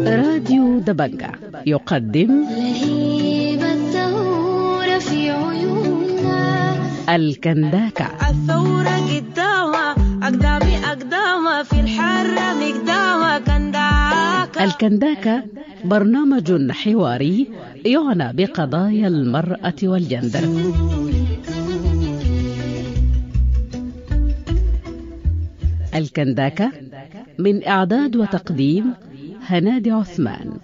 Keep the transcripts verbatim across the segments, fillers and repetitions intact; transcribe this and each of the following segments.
راديو دبنجة يقدم لهيب الثورة في عيوننا. الكنداكة. الثورة قدامها أقدامي أقدامها في الحرة مقدامها كنداكة. الكنداكة برنامج حواري يعنى بقضايا المرأة والجندر. الكنداكة من إعداد وتقديم هنادي عثمان.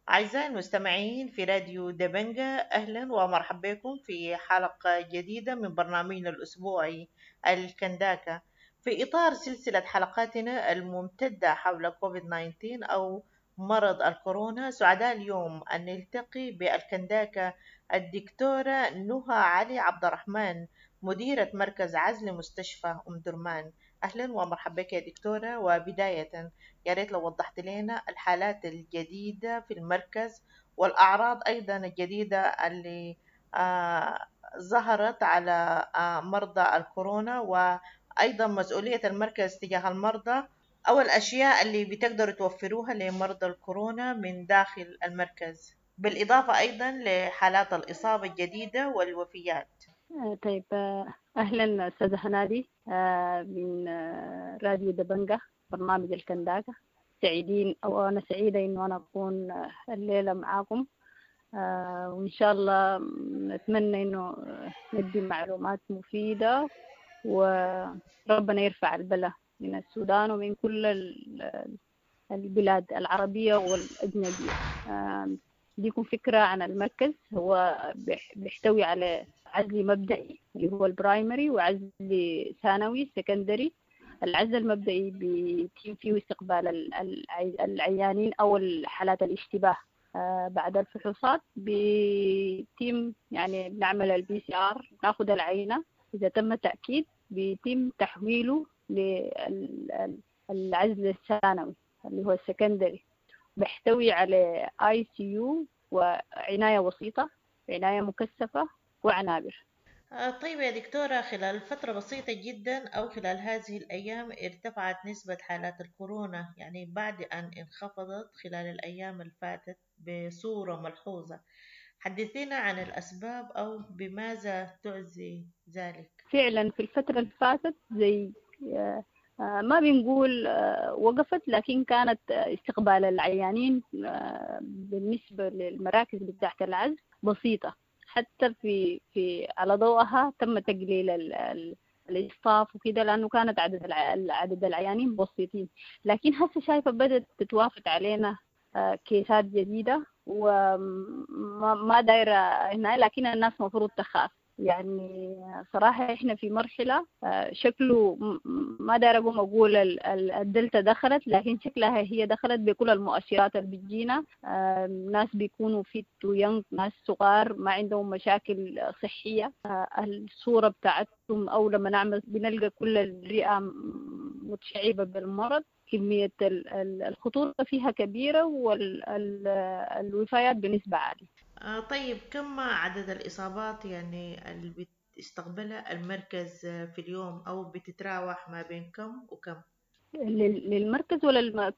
أعزائي المستمعين في راديو دبنجة، أهلا ومرحبا بكم في حلقة جديدة من برنامجنا الأسبوعي الكنداكة، في إطار سلسلة حلقاتنا الممتدة حول كوفيد تسعة عشر أو مرض الكورونا. سعداء اليوم أن نلتقي بالكنداكة الدكتورة نهى علي عبد الرحمن، مديرة مركز عزل مستشفى أم درمان. أهلا ومرحبا بك يا دكتورة. وبداية يا ريت لو وضحت لنا الحالات الجديدة في المركز والأعراض أيضا الجديدة اللي آه ظهرت على آه مرضى الكورونا، وأيضا مسؤولية المركز تجاه المرضى أو الأشياء اللي بتقدروا توفروها لمرضى الكورونا من داخل المركز، بالإضافة أيضا لحالات الإصابة الجديدة والوفيات. طيب، أهلا أستاذة هنادي من راديو دبنجة برنامج الكنداكة. سعيدين أو أنا سعيدة إنه أنا أكون الليلة معاكم، وإن شاء الله نتمنى إنه ندي معلومات مفيدة، وربنا يرفع البلاء من السودان ومن كل البلاد العربية والأجنبية. ديكم فكرة عن المركز. هو بيحتوي على عزل مبدئي اللي هو ال primary، وعزل ثانوي secondary. العزل المبدئي بيتم فيه استقبال العيانين أو الحالات الاشتباه. بعد الفحوصات بيتم يعني بنعمل ال PCR، ناخذ العينة، إذا تم تأكيد بيتم تحويله للعزل الثانوي اللي هو ال secondary. بيحتوي على ICU وعناية وسيطة، عناية مكثفة، وعنابر. طيب يا دكتورة، خلال فترة بسيطة جدا أو خلال هذه الأيام ارتفعت نسبة حالات الكورونا، يعني بعد أن انخفضت خلال الأيام اللي فاتت بصورة ملحوظة. حدثينا عن الأسباب أو بماذا تعزي ذلك. فعلا في الفترة اللي فاتت زي ما بنقول وقفت، لكن كانت استقبال العيانين بالنسبة للمراكز بتاعت العزل بسيطة، حتى في في على ضوءها تم تقليل الاصطاف وكده، لأنه كانت عدد عدد العيانين بسيطين. لكن هسه شايفة بدأت تتوافد علينا كيسات جديدة، وما دايرة هنا، لكن الناس مفروض تخاف. يعني صراحة إحنا في مرحلة شكله ما داير أقوم أقول الدلتا دخلت، لكن شكلها هي دخلت بكل المؤشرات اللي بتجينا. ناس بيكونوا fit و young، ناس صغار ما عندهم مشاكل صحية، الصورة بتاعتهم أو لما نعمل بنلقى كل الرئة متشعبة بالمرض. كمية الخطورة فيها كبيرة والوفايات بنسبة عالية. آه طيب، كم عدد الإصابات يعني اللي بتستقبلها المركز في اليوم أو بتتراوح ما بين كم وكم؟ للمركز ولا الم...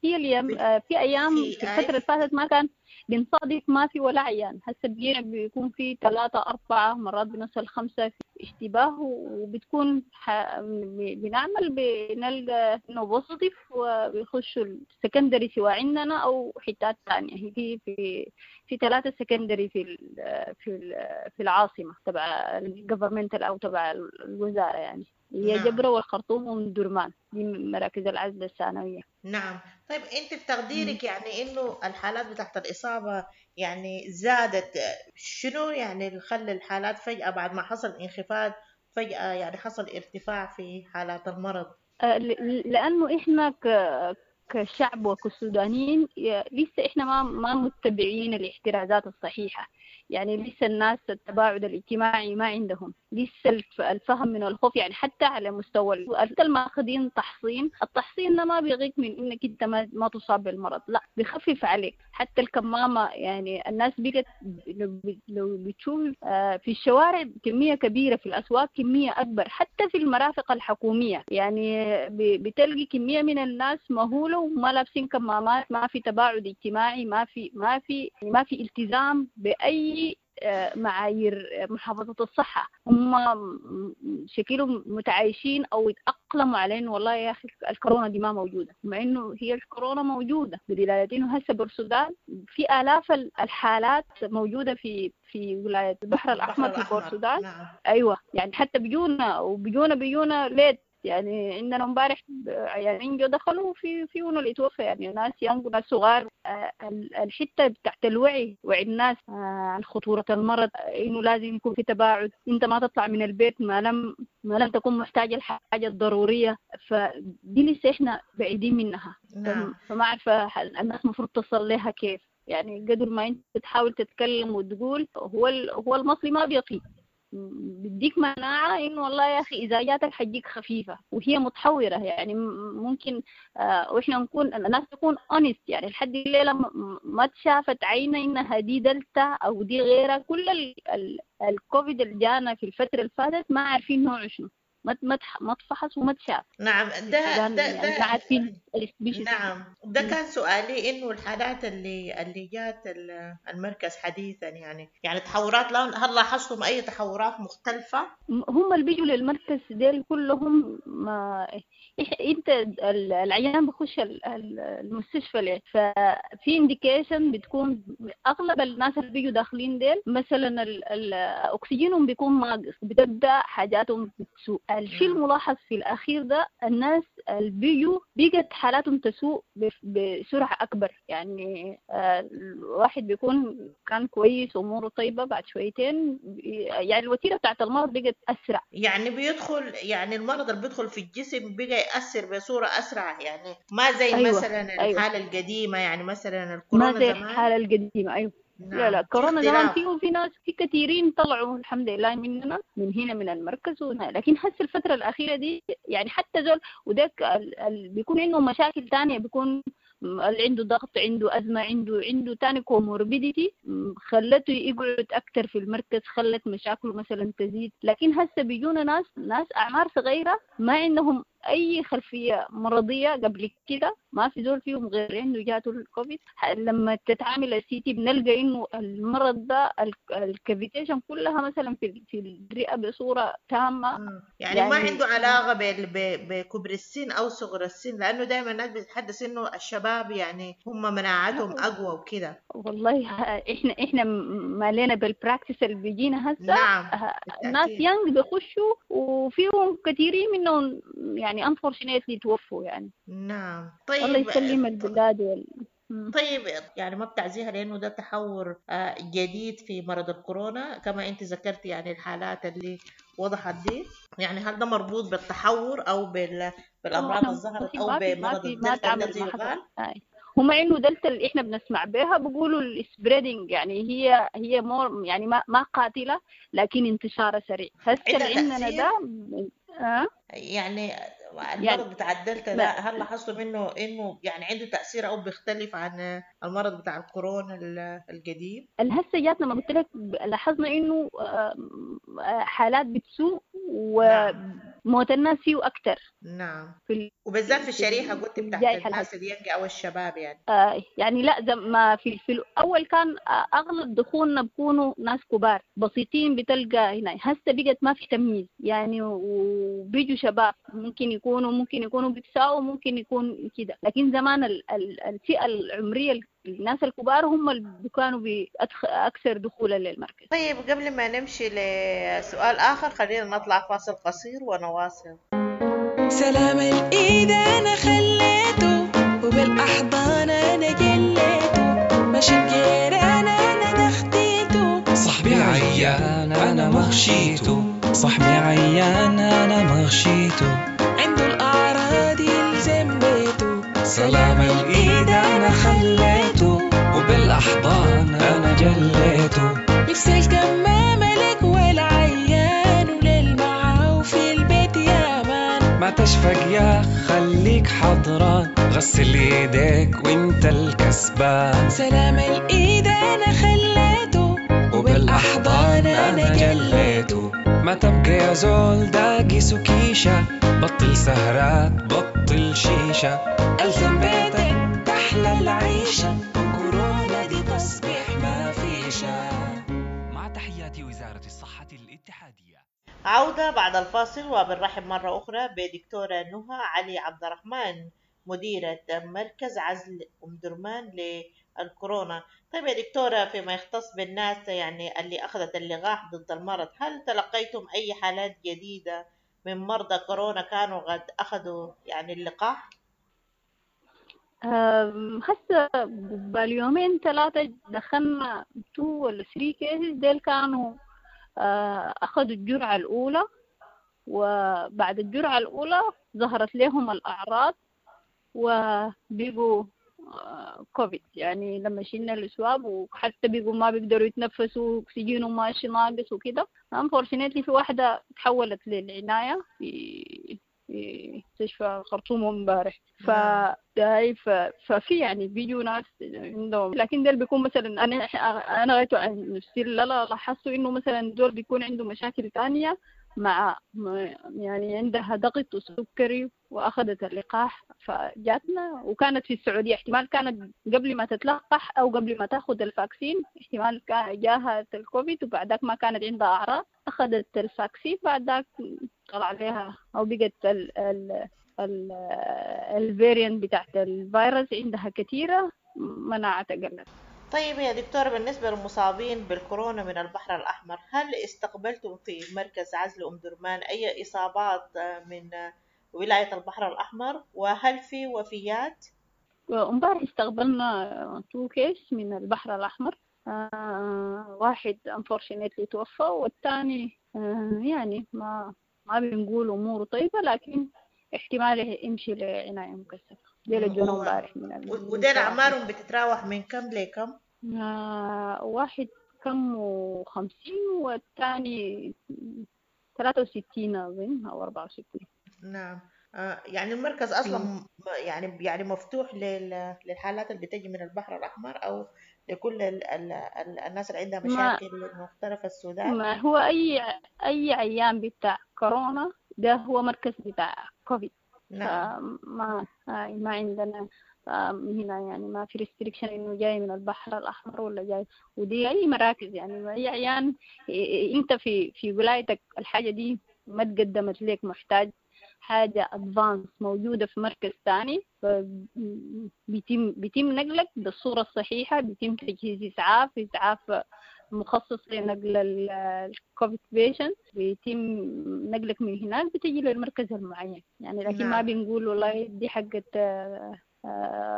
هي اليوم في أيام في الفترة اللي فاتت ما كان بنصادف ما في ولا عيان، هسه بيجينا بيكون في ثلاثة أربعة مرات بنوصل خمسة في اشتباه، وبتكون ح... بنعمل بنلقى إنه positive وبيخشوا ال secondary سواء عندنا أو حتات ثانية. هي في في في ثلاثة secondary في ال... في ال... في العاصمة تبع ال governmental أو تبع الوزارة، يعني هي نعم. جبرة والخرطوم ومدرمان، دي مراكز العزل الثانوية. نعم. طيب أنت في تقديرك يعني إنه الحالات بتاعت الإصابة يعني زادت، شنو يعني اللي خلى الحالات فجأة بعد ما حصل انخفاض فجأة يعني حصل ارتفاع في حالات المرض؟ لأنه إحنا ك كشعب وكسودانيين لسه إحنا ما ما متبعين الاحترازات الصحيحة. يعني لسه الناس التباعد الاجتماعي ما عندهم، لسه الفهم من الخوف، يعني حتى على مستوى الماخذين تحصين، التحصين ده ما بيغيك من انك انت ما, ما تصاب بالمرض، لا بيخفف عليك. حتى الكمامة يعني الناس بقت لو بتشوف في الشوارع كمية كبيرة، في الأسواق كمية أكبر، حتى في المرافق الحكومية يعني بتلقي كمية من الناس مهولة وما لابسين كمامات، ما في تباعد اجتماعي، ما في ما في ما في التزام بأي معايير محافظة الصحة. هم شكلهم متعايشين أو يتأقلموا على إنه والله يا أخي الكورونا دي ما موجودة، مع إنه هي الكورونا موجودة، بدلالة إنه هسه بالسودان في آلاف الحالات موجودة في في ولاية البحر الأحمر في بورسودان. نعم. أيوة يعني حتى بيجونا وبيجونا بيجونا late، يعني عندنا امبارح يعني جو دخلوا في في اللي توفى، يعني ناس young وناس صغار. الحتة بتاعت الوعي، وعي الناس عن خطورة المرض، انه لازم يكون في تباعد، انت ما تطلع من البيت ما لم ما لم تكون محتاجه الحاجة الضرورية، فدي لسه احنا بعيدين منها. نعم. فما عارفه الناس المفروض تصل لها كيف، يعني قدر ما انت تحاول تتكلم وتقول هو هو المصري ما بيقي، بديك مناعة إنه والله يا أخي إذا جاتك حتجيك خفيفة، وهي متحورة يعني ممكن آه وإحنا نكون الناس تكون honest، يعني لحد الليلة ما تشافت عينة إنها دي دلتا أو دي غيرها. كل ال ال الكوفيد اللي جانا في الفترة اللي فاتت ما عارفين نوعه شنو، ما ما ما تفحص وما تشاف. نعم ده ده يعني ده عارفين. نعم ده كان سؤالي، انه الحالات اللي اللي جات المركز حديثا يعني يعني تحورات، هل لاحظتم اي تحورات مختلفة؟ هم اللي بيجوا للمركز ديل كلهم ما انت العيان بخش المستشفى ليه، ففي indication بتكون اغلب الناس اللي بيجوا داخلين ديل مثلا الاكسجينهم بيكون ناقص، بتبدا حاجاتهم بتسوء. الشيء الملاحظ في الأخير ده الناس اللي بيجوا بقت حالاتهم تسوء بسرعة أكبر، يعني الواحد بيكون كان كويس وأموره طيبة، بعد شويتين يعني الوتيرة بتاعت المرض بقت أسرع، يعني بيدخل يعني المرض اللي بيدخل في الجسم بقى يأثر بصورة أسرع، يعني ما زي أيوة. مثلا الحالة أيوة. القديمة، يعني مثلا الكورونا ما زي الحالة القديمة. أيوة. نعم. لا لا كورونا زمان فيه وفي ناس في كثيرين طلعوا الحمد لله مننا من هنا من المركز وهنا. لكن هسه الفترة الأخيرة دي يعني حتى زول وذاك ال... بيكون عنده مشاكل تانية، بيكون اللي عنده ضغط، عنده أزمة، عنده عنده تاني comorbidity خلته يقعد أكتر في المركز، خلت مشاكله مثلا تزيد. لكن هسه بيجونا ناس ناس أعمار صغيرة ما عندهم أي خلفية مرضية قبل كده، ما في زول فيهم غير عنده جاته الكوفيد. لما تتعامل ال CT بنلقى إنه المرض ده ال cavitation كلها مثلا في في الرئة بصورة تامة، يعني, يعني ما عنده علاقة بكبر السن أو صغر السن، لأنه دائما الناس بتتحدث إنه الشباب يعني هم مناعتهم أقوى وكده. والله إحنا إحنا ما لنا بال practice اللي بيجينا هسه. نعم. ناس young بيخشوا وفيهم كثيرين منهم يعني unfortunately توفوا يعني. نعم. طيب الله يسلم البلاد وال... طيب يعني ما بتعزيها لأنه ده تحور جديد في مرض الكورونا كما أنت ذكرتي، يعني الحالات اللي وضحت دي، يعني هل ده مربوط بالتحور أو بال... بالأمراض اللي ظهرت أو بمرض الدلتا الذي يقال؟ هم انه دلتا اللي احنا بنسمع بها بيقولوا ال spreading، يعني هي هي more يعني ما ما قاتله لكن انتشارها سريع. هسه اللي عندنا ده أه؟ يعني المرض يعني بتاع الدلتا ده هل لاحظتوا منه انه يعني عنده تاثير او بيختلف عن المرض بتاع الكورونا القديم؟ الهسه جاتنا ما قلت لك لاحظنا انه حالات بتسوء وموت الناس فيه اكثر. نعم. في وبالذات في الشريحة قلت بتاعت الناس ال young او الشباب يعني. آه يعني لا زي ما في في الاول كان اغلب دخولنا بيكونوا ناس كبار بسيطين بتلقى هنا، هسه بقت ما في تمييز يعني، وبيجوا شباب ممكن يكونوا ممكن يكونوا بيتساووا ممكن يكون كده. لكن زمان الفئة العمرية الناس الكبار هم اللي كانوا أكثر دخولا للمركز. طيب قبل ما نمشي لسؤال آخر خلينا نطلع فاصل قصير ونواصل. سلام الإيد أنا خليته وبالأحضان أنا جليته، ماشي الجيران أنا دختيته، صاحبي عيان أنا مغشيته، صاحبي عيان أنا مغشيته، عنده الأعراض يلزم بيته، سلام الإيد أنا خليته وبالأحضان أنا جليته. لبس الكمامة لك والعيان وللمعاو في البيت يا مان. ما تشفق يا خليك حضران، غسل ايديك وانت الكسبان. سلام الايد انا خليته وبالاحضان انا جليته. ما تبقى يا زول داقي سكيشة، بطل سهرات بطل شيشة، ألزم بيتك تحلى العيشة، وكورونا دي تصبح ما فيشة. مع تحيات وزارة الصحة الاتحادية. عودة بعد الفاصل، وبنرحب مرة أخرى بدكتورة نهى علي عبد الرحمن مديرة مركز عزل أم درمان للكورونا. طيب يا دكتورة، فيما يختص بالناس يعني اللي أخذت اللقاح ضد المرض، هل تلقيتم أي حالات جديدة من مرضى كورونا كانوا قد أخذوا يعني اللقاح؟ هسه باليومين ثلاثة دخلنا two ولا three cases، ديل كانوا أخذوا الجرعة الأولى، وبعد الجرعة الأولى ظهرت لهم الأعراض وبيقوا كوفيد. يعني لما شلنا ال swab وحتى بيقوا ما بيقدروا يتنفسوا، أكسجينهم ماشي ناقص وكده. unfortunately في واحدة تحولت للعناية في في مستشفى الخرطوم امبارح. ف ففي يعني بيجوا ناس عندهم، لكن دول بيكون مثلا انا انا غايته عن نفسي لا لاحظت انه مثلا دول بيكون عنده مشاكل ثانية مع يعني عندها ضغط وسكري واخذت اللقاح فجاتنا، وكانت في السعودية، احتمال كانت قبل ما تتلقح او قبل ما تاخذ ال vaccine احتمال جاها الكوفيد، وبعدك ما كانت عندها اعراض، اخذت ال vaccine بعدك طلع عليها او بقت ال ال ال ال variant بتاعت الفيروس عندها كثيرة، مناعتها قلت. طيب يا دكتورة، بالنسبة للمصابين بالكورونا من البحر الأحمر، هل استقبلتم في مركز عزل أم درمان أي إصابات من ولاية البحر الأحمر، وهل في وفيات؟ امبارح استقبلنا two case من البحر الأحمر، آه واحد unfortunately توفى، والثاني آه يعني ما ما بنقول أموره طيبة، لكن احتمال يمشي لعناية مكثفة. ديل الجنوب امبارح من ال... وديل أعمارهم بتتراوح من كم لكم؟ آه واحد كم وخمسين والثاني ثلاثة وستين أظن أو أربعة وستين. نعم. آه يعني المركز أصلا م. يعني يعني مفتوح لل... للحالات اللي بتجي من البحر الأحمر أو لكل ال... ال... ال... الناس اللي عندها مشاكل ما... مختلفة السودان. ما هو أي أي عيان بتاع كورونا ده هو مركز بتاع كوفيد. نعم. ما ما عندنا هنا يعني ما في restriction انه جاي من البحر الاحمر ولا جاي، ودي اي مراكز يعني اي عيان انت في في ولايتك الحاجة دي ما تقدمت لك، محتاج حاجة advanced موجودة في مركز ثاني، بيتم بيتم نقلك بالصورة الصحيحة، بيتم تجهيز اسعاف اسعاف مخصص لنقل الكوفيد patient، بيتم نقلك من هناك بتجي للمركز المعين يعني. لكن نعم. ما بنقول والله دي حقت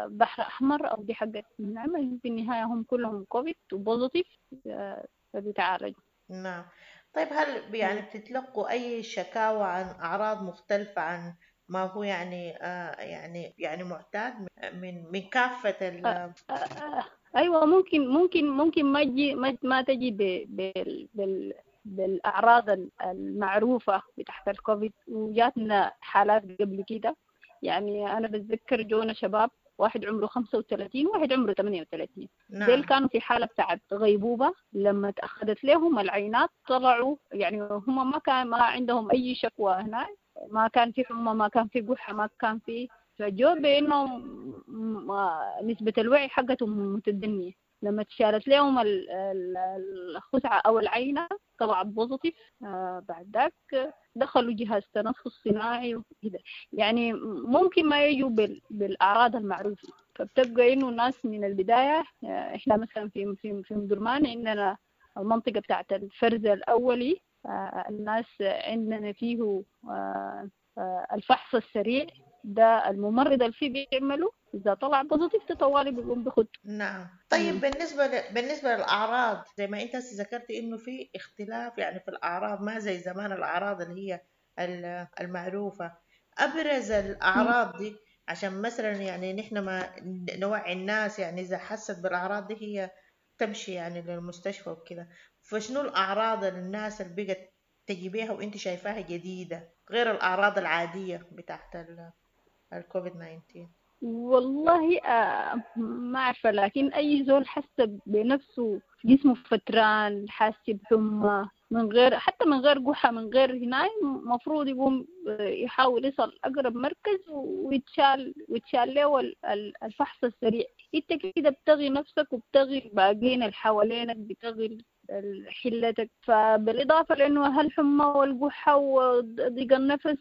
بحر أحمر أو دي حقت، نعم في النهاية هم كلهم كوفيد و positive فبيتعالجوا. نعم. طيب هل يعني بتتلقوا أي شكاوى عن أعراض مختلفة عن ما هو يعني آه يعني يعني معتاد من من كافة ال آه آه ايوه ممكن ممكن ممكن ما تجي ما, ما تجي بال بال بالاعراض المعروفة بتاعت الكوفيد، وجاتنا حالات قبل كده. يعني انا بتذكر جونا شباب، واحد عمره خمسة وثلاثين وواحد عمره ثمانية وثلاثين. نعم. ديل كانوا في حالة بتاعت غيبوبة، لما تأخذت لهم العينات طلعوا يعني هم ما كان ما عندهم أي شكوى هناك، ما كان في حمى، ما كان في قحة، ما كان في، فجوا بأنه نسبة الوعي حقتهم متدنية. لما تشالت لهم الخزعة أو العينة طلعت positive، آه بعد ذاك دخلوا جهاز تنفس صناعي وكده. يعني ممكن ما يجوا بالأعراض المعروفة، فبتبقى إنه الناس من البداية. إحنا مثلا في في في أم درمان عندنا المنطقة بتاعت الفرز الأولي، آه الناس عندنا فيه آه آه الفحص السريع ده الممرض اللي فيه بيعمله، إذا طلع positive طوالي بيقوم بخد. نعم. طيب مم. بالنسبة ل... بالنسبة للأعراض زي ما أنت ذكرتي إنه في اختلاف يعني في الأعراض، ما زي زمان الأعراض اللي هي المعروفة. أبرز الأعراض دي عشان مثلا يعني نحن ما نوعي الناس، يعني إذا حست بالأعراض دي هي تمشي يعني للمستشفى وكده. فشنو الأعراض اللي الناس اللي بقت تجي بيها وانت شايفاها جديدة غير الأعراض العادية بتاعت الكوفيد تسعتاشر؟ والله آه ما عارفة، لكن أي زول حس بنفسه جسمه فتران، حاسس بحمى، من غير حتى من غير قحة، من غير هناي، مفروض يقوم يحاول يصل أقرب مركز ويتشال ويتشال له الفحص السريع. انت كده بتغي نفسك وبتغي الباقيين اللي حوالينك، بتغي حلتك. فبالإضافة لأنه هالحمى والقحة وضيق النفس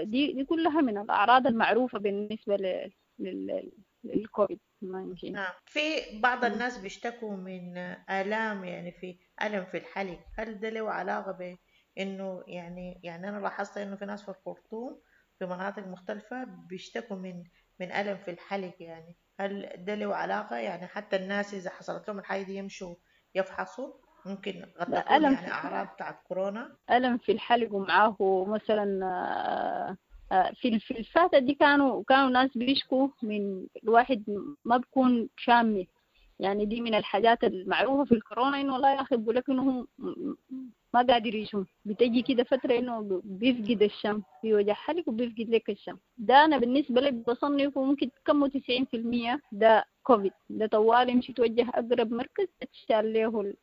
دي دي كلها من الأعراض المعروفة بالنسبة لل للكوفيد تسعتاشر. نعم، في بعض الناس بيشتكوا من آلام، يعني في ألم في الحلق، هل ده له علاقة بإنه يعني يعني أنا لاحظت إنه في ناس في الخرطوم في مناطق مختلفة بيشتكوا من من ألم في الحلق، يعني هل ده له علاقة؟ يعني حتى الناس إذا حصلت لهم الحاجة دي يمشوا يفحصوا، ممكن قد تكون يعني أعراض بتاعت كورونا؟ ألم في الحلق ومعاه مثلا في في الفاتة دي كانوا كانوا ناس بيشكوا من الواحد ما بيكون شامي، يعني دي من الحاجات المعروفة في الكورونا، إنه والله يا أخي بيقول لك إنه هم ما قادر يشم، بتجي كده فترة إنه بيفقد الشم، في وجع حلق وبيفقد لك الشم. ده أنا بالنسبة لي بصنفه ممكن كم تسعين في المية ده كوفيد، ده طوال يمشي توجه أقرب مركز تشال له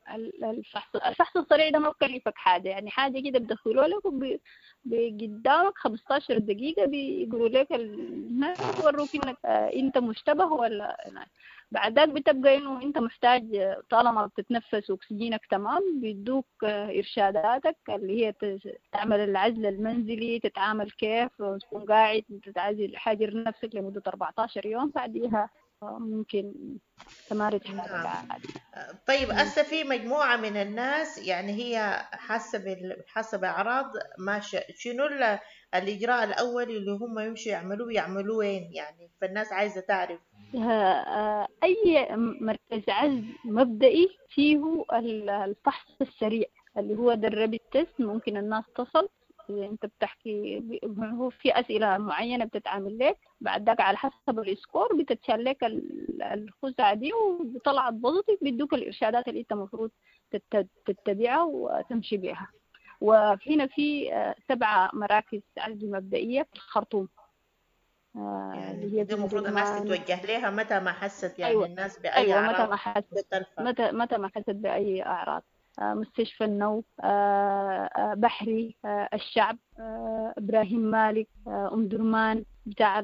الفحص. الفحص السريع ده ما بكلفك حاجة، يعني حاجة كده بدخلوا لك وبقدامك خمستاشر دقيقة بيقولوا لك الناس يوروك إنك أنت مشتبه ولا لا. بعد ذاك بتبقى إنه أنت محتاج طالما بتتنفس أكسجينك تمام، بيدوك إرشاداتك اللي هي تعمل العزل المنزلي، تتعامل كيف تكون قاعد تتعزل حاجر نفسك لمدة أربعتاشر يوم، بعديها ممكن تمارس حالك عادي. طيب هسه في مجموعة من الناس يعني هي حاسة بال... حاسة بأعراض ماشية، شنو الإجراء الأولي اللي هم يمشوا يعملوه يعملوه وين يعني؟ فالناس عايزة تعرف. أي مركز عزل مبدئي فيه الفحص السريع اللي هو ده ال rapid test، ممكن الناس تصل. انت بتحكي هو في اسئله معينه بتتعامل لك، بعد ذاك على حسب ال score بتتشال لك الخزعه دي، وطلعت positive بيدوك الارشادات اللي انت المفروض تتبعها وتمشي بها. وفينا في سبعه مراكز عزل مبدئيه في الخرطوم، يعني اللي هي المفروض الناس تتوجه لها متى ما حست، يعني أيوة. الناس باي أيوة اعراض متى ما حست مختلفه، متى متى ما حست باي اعراض. مستشفى النو، بحري، الشعب، إبراهيم مالك، أم درمان، بتاع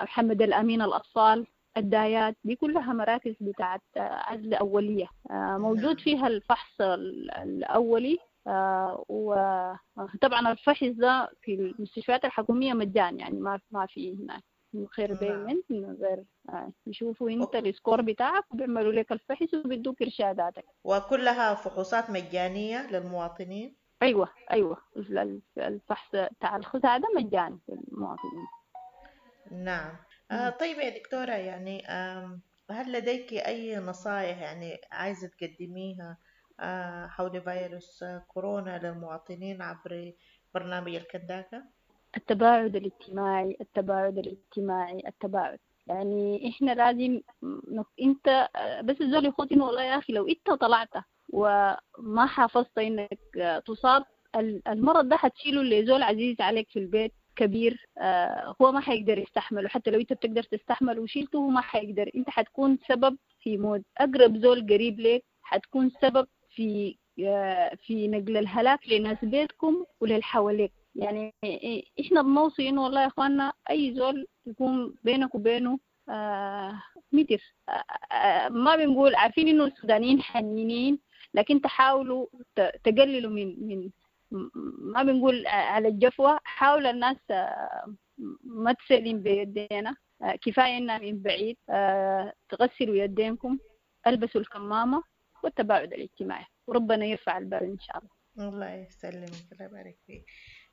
محمد الأمين الأطفال، الدايات، دي كلها مراكز بتاعت عزل أولية موجود فيها الفحص الأولي. وطبعا الفحص ده في المستشفيات الحكومية مجان، يعني ما ما في هناك من غير payment، من غير يشوفوا انت ال score بتاعك وبيعملوا لك الفحص وبيدوك ارشاداتك. وكلها فحوصات مجانيه للمواطنين؟ ايوه ايوه، الفحص بتاع الخزعه ده مجاني للمواطنين. نعم. آه طيب يا دكتوره، يعني آه هل لديك اي نصائح يعني عايزه تقدميها آه حول فيروس كورونا للمواطنين عبر برنامج الكنداكا؟ التباعد الاجتماعي، التباعد الاجتماعي، التباعد. يعني احنا لازم انت بس الزول يخوض انه والله يا اخي لو انت طلعت وما حافظت انك تصاب المرض ده حتشيله لزول عزيز عليك في البيت كبير، هو ما حيقدر يستحمله، حتى لو انت بتقدر تستحمله وشيلته هو ما حيقدر. انت حتكون سبب في موت اقرب زول قريب لك، حتكون سبب في في نقل الهلاك لناس بيتكم وللحواليك. يعني احنا بنوصي انه والله يا اخواننا اي زول يكون بينك وبينه آه متر، آه ما بنقول عارفين انه السودانيين حنينين، لكن تحاولوا تقللوا من من ما بنقول على الجفوة، حاول الناس آه ما تسلم بيدينا، آه كفاية انها من بعيد، آه تغسلوا يدينكم، البسوا الكمامة، والتباعد الاجتماعي، وربنا يرفع البال ان شاء الله. الله يسلمك، الله يبارك فيك.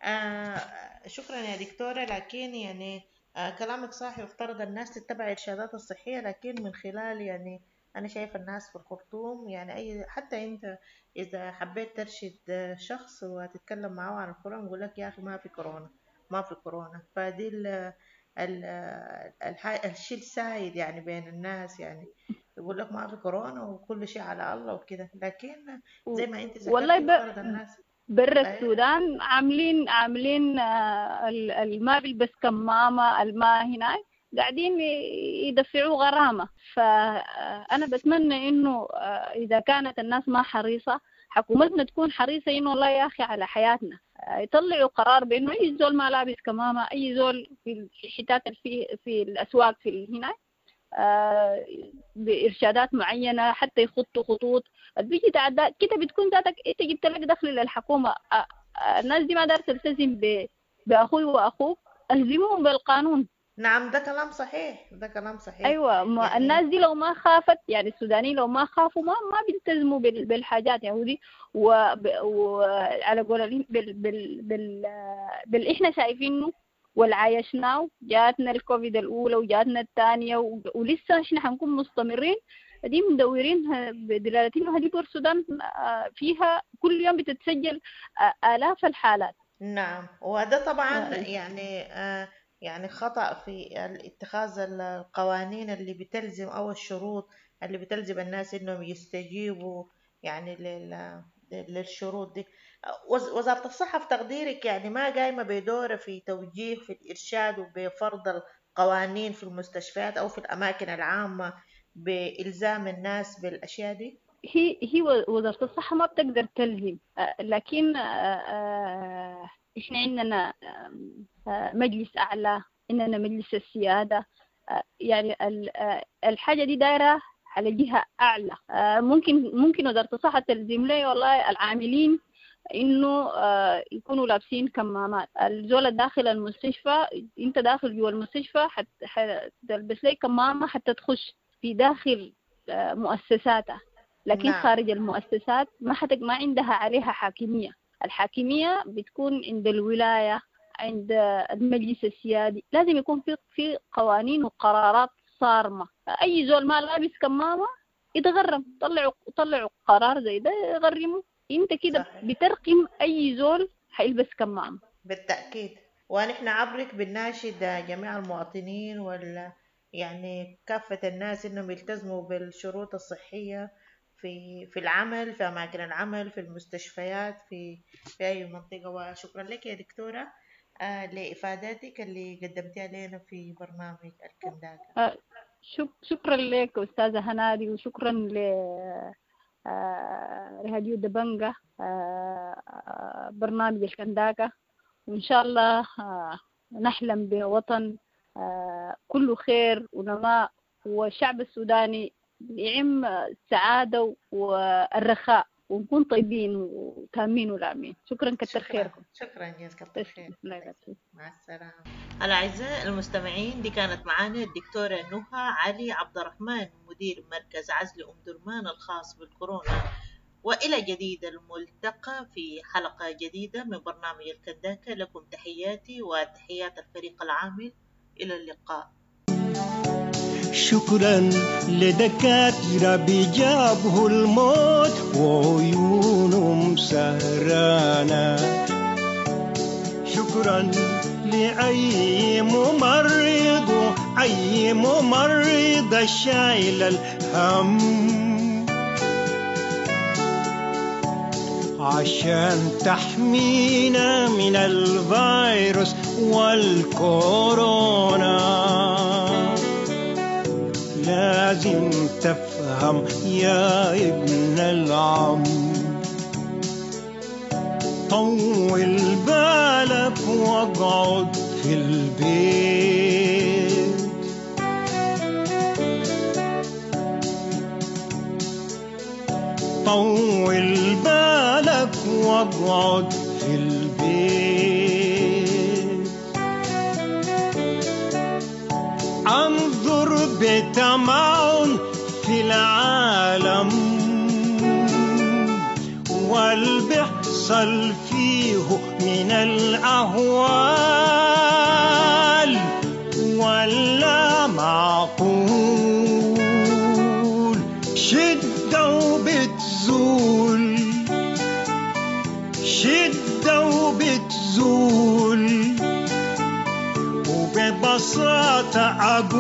آه شكرا يا دكتورة. لكن يعني آه كلامك صح، يفترض الناس تتبع الإرشادات الصحية، لكن من خلال يعني أنا شايفة الناس في الخرطوم يعني أي حتى أنت إذا حبيت ترشد شخص وتتكلم معه عن الكورونا يقول لك يا أخي ما في كورونا، ما في كورونا. فدي ال ال الشيء السائد يعني بين الناس يعني. يقول لك ما في كورونا وكل شيء على الله وكده، لكن زي ما انت والله ذكرتي ب... مفترض الناس برا أيوة. السودان عاملين عاملين آه، ال- الما بيلبس كمامة، الما هناك قاعدين يدفعوا غرامة. فأنا بتمنى إنه آه، إذا كانت الناس ما حريصة، حكومتنا تكون حريصة إنه والله يا أخي على حياتنا، آه، يطلعوا قرار بإنه أي زول ما لابس كمامة، أي زول في الحتات في في الأسواق في هناك آه، بإرشادات معينة، حتى يخطوا خطوط بيجي تعدى كده، بتكون ذاتك انت جبت لك دخل للحكومة. آه، آه، الناس دي ما دارت تلتزم ب- بأخوي وأخوك، ألزموهم بالقانون. نعم، ده كلام صحيح، ده كلام صحيح. أيوة، ما يعني الناس دي لو ما خافت، يعني السودانيين لو ما خافوا ما ما بيلتزموا بال- بالحاجات يعني ودي، وعلى قول ال- بال بال بال بال إحنا شايفينه والعايشناه. جاتنا الكوفيد الأولى وجاتنا الثانية و- ولسه إحنا حنكون مستمرين دي مدورين ه- بدلالة إنه هذه بور السودان آه، فيها كل يوم بتتسجل آه، آلاف الحالات. نعم، وده طبعا آه، يعني آه يعني خطأ في اتخاذ القوانين اللي بتلزم أو الشروط اللي بتلزم الناس إنهم يستجيبوا يعني لل للشروط دي. وز- وزارة الصحة في تقديرك يعني ما قايمة بدورها في توجيه في الإرشاد وبفرض القوانين في المستشفيات أو في الأماكن العامة بإلزام الناس بالأشياء دي؟ هي هي وزارة الصحة ما بتقدر تلزم، آه، لكن آه، آه، إحنا عندنا آم، آه، مجلس أعلى، عندنا مجلس السيادة، آه، يعني ال- آه، الحاجة دي دايرة على جهة أعلى. آه، ممكن ممكن وزارة الصحة تلزم لي والله العاملين إنه آه، يكونوا لابسين كمامات. الزول داخل المستشفى، أنت داخل جوا المستشفى حت- حتلبس لي كمامة حتى تخش في داخل آه، مؤسساتها، لكن نعم. خارج المؤسسات ما حتك ما عندها عليها حاكمية. الحاكمية بتكون عند الولاية، عند المجلس السيادي. لازم يكون في في قوانين وقرارات صارمة. أي زول ما لابس كمامة يتغرم، طلعوا طلعوا قرار زي ده يغرموا. انت كده صحيح. بترقم أي زول حيلبس كمامة. بالتأكيد، ونحن عبرك بنناشد جميع المواطنين وال يعني كافة الناس إنهم يلتزموا بالشروط الصحية في في العمل، في أماكن العمل، في المستشفيات، في في أي منطقة. وشكرا لك يا دكتورة آه، لإفاداتك اللي قدمتيها لنا في برنامج الكنداكة. آه، شك- شكرا لك أستاذة هنادي، وشكرا ل آه، راديو دبنجة، آه، آه، برنامج الكنداكة. وإن شاء الله، آه، نحلم بوطن، آه، كله خير ونماء، والشعب السوداني يعم السعادة والرخاء، ونكون طيبين وتامين ولامين. شكرا، كتر شكرا، خيركم. شكرا يا كتر خير. الله يبارك فيك. مع السلامة. الأعزاء المستمعين، دي كانت معانا الدكتورة نهى علي عبد الرحمن، مدير مركز عزل أم درمان الخاص بالكورونا. وإلى جديد الملتقى في حلقة جديدة من برنامج الكنداكة. لكم تحياتي وتحيات الفريق العامل. إلى اللقاء. شكرا لدكاترة بيجابه الموت وعيونهم سهرانة، شكرا لأي ممرض أي ممرض شايل الهم عشان تحمينا من الفيروس والكورونا. لازم تفهم يا ابن العم، طول بالك واقعد في البيت. طول بالك واقعد في البيت. انظر بتمعن في العالم والبحصل فيه من الأهوال، ولا معقول شدة وبتزول، شدة وبتزول. وببساطة أقول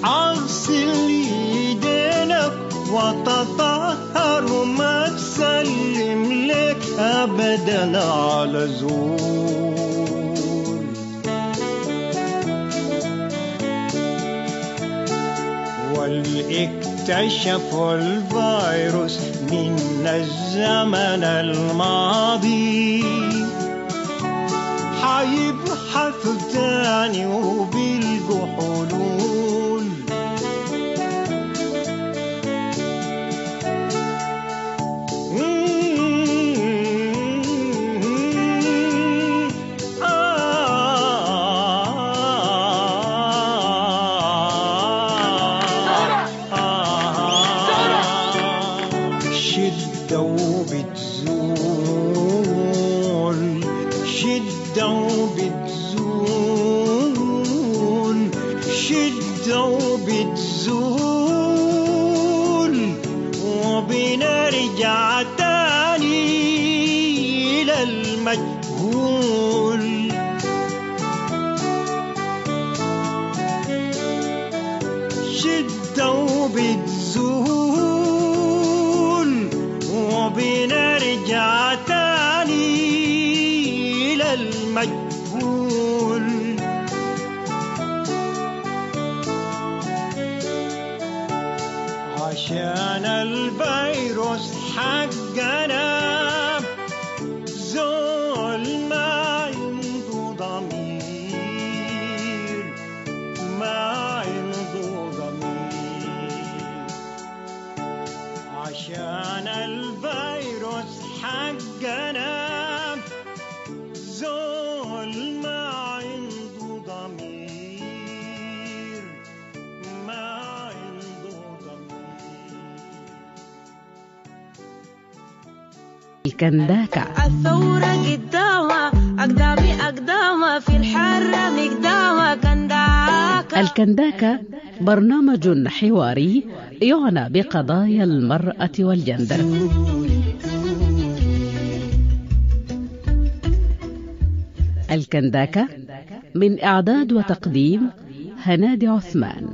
أغسل يدينك وتطهر وما تسلم لك أبدا على زول. واكتشفوا الفيروس من الزمن الماضي، حيبحثوا تاني وبيلقوا حلول. شدة وبتزول، شدة وبتزول، شدة وبتزول، وبنرجع تاني للمجهول. شدة وبتزول، وبنرجع تاني للمجهول. عشان الفيروس حقنا زول ما عنده ضمير، ما عنده ضمير. عشان الفيروس حقنا زول ما عنده ضمير، ما عنده ضمير. الكنداكة. الثورة قدامها أقدامي أقدامها في الحرة مقدامها كنداكة. الكنداكة برنامج حواري يعنى بقضايا المرأة والجندر. الكنداكة من إعداد وتقديم هنادي عثمان.